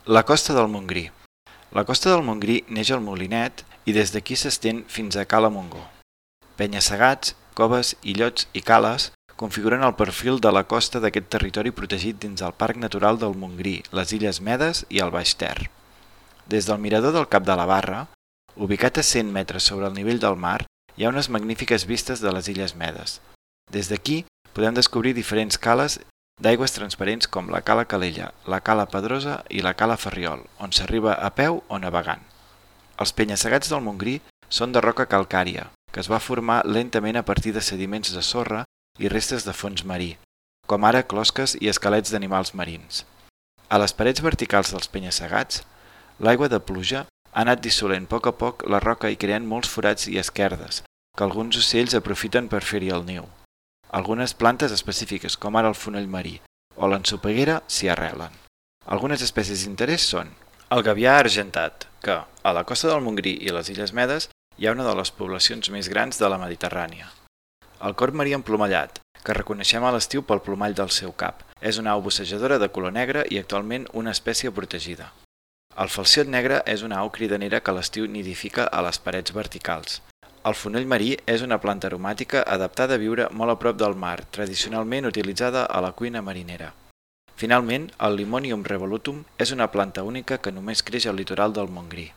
La costa del Montgrí. La costa del Montgrí neix al Molinet i des d'aquí s'estén fins a Cala Montgó. Penya-segats, coves, illots i cales configuren el perfil de la costa d'aquest territori protegit dins el Parc Natural del Montgrí, les Illes Medes i el Baix Ter. Des del mirador del Cap de la Barra, ubicat a 100 metres sobre el nivell del mar, hi ha unes magnífiques vistes de les Illes Medes. Des d'aquí podem descobrir diferents cales d'aigües transparents com la Cala Calella, la Cala Pedrosa i la Cala Ferriol, on s'arriba a peu o navegant. Els penya-segats del Montgrí són de roca calcària, que es va formar lentament a partir de sediments de sorra i restes de fons marí, com ara closques i esquelets d'animals marins. A les parets verticals dels penya-segats, l'aigua de pluja ha anat dissolent a poc la roca i creant molts forats i esquerdes, que alguns ocells aprofiten per fer-hi el niu. Algunes plantes específiques, com ara el fonoll marí o l'ensopeguera, s'hi arrelen. Algunes espècies d'interès són el gavià argentat, que a la costa del Montgrí i les Illes Medes hi ha una de les poblacions més grans de la Mediterrània. El corb marí emplomallat, que reconeixem a l'estiu pel plomall del seu cap, és una au bussejadora de color negre i actualment una espècie protegida. El falciot negre és una au cridanera que a l'estiu nidifica a les parets verticals. El fonoll marí és una planta aromàtica adaptada a viure molt a prop del mar, tradicionalment utilitzada a la cuina marinera. Finalment, el Limonium revolutum és una planta única que només creix al litoral del Montgrí.